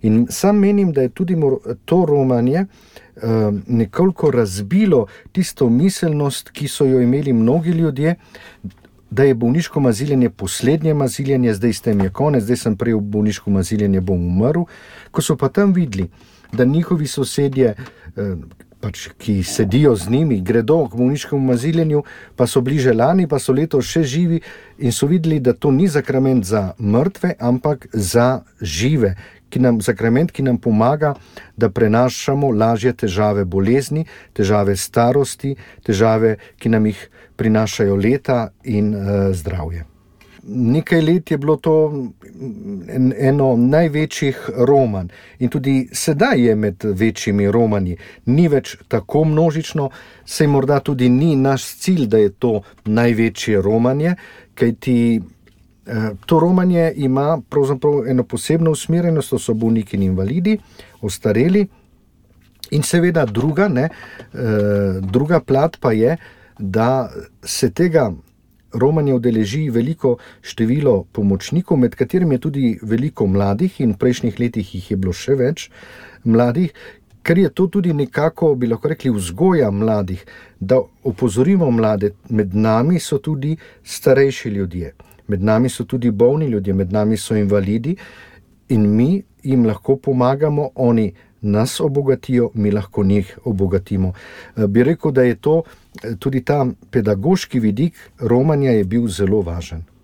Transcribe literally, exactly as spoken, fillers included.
In sam menim, da je tudi to romanje nekoliko razbilo tisto miselnost, ki so jo imeli mnogi ljudje, da je bolniško maziljenje poslednje maziljenje, zdaj s tem je konec, zdaj sem prej v bolniško maziljenje, bom umrl. Ko so pa tam videli, da njihovi sosedje, pač, ki sedijo z njimi, gredo k bolniškemu maziljenju, pa so bili že lani, pa so letos še živi in so videli, da to ni sakrament za mrtve, ampak za žive, ki nam, sakrament, ki nam pomaga, da prenašamo lažje težave bolezni, težave starosti, težave, ki nam jih prinašajo leta in uh, zdravje. Nekaj let je bilo to eno največjih romanj in tudi sedaj je med večjimi romanji. Ni več tako množično, saj morda tudi ni naš cilj, da je to največje romanje, kajti eh, to romanje ima pravzaprav eno posebno usmerjenost, to so bolniki in invalidi, ostareli in seveda druga, ne, eh, druga plat pa je, da se tega romanje udeleži veliko število pomočnikov, med katerimi je tudi veliko mladih in v prejšnjih letih jih je bilo še več mladih, ker je to tudi nekako, bi lahko rekli, vzgoja mladih, da opozorimo mlade, med nami so tudi starejši ljudje, med nami so tudi bolni ljudje, med nami so invalidi in mi jim lahko pomagamo, oni nas obogatijo, mi lahko njih obogatimo. Bi rekel, da je to tudi ta pedagoški vidik romanja je bil zelo važen.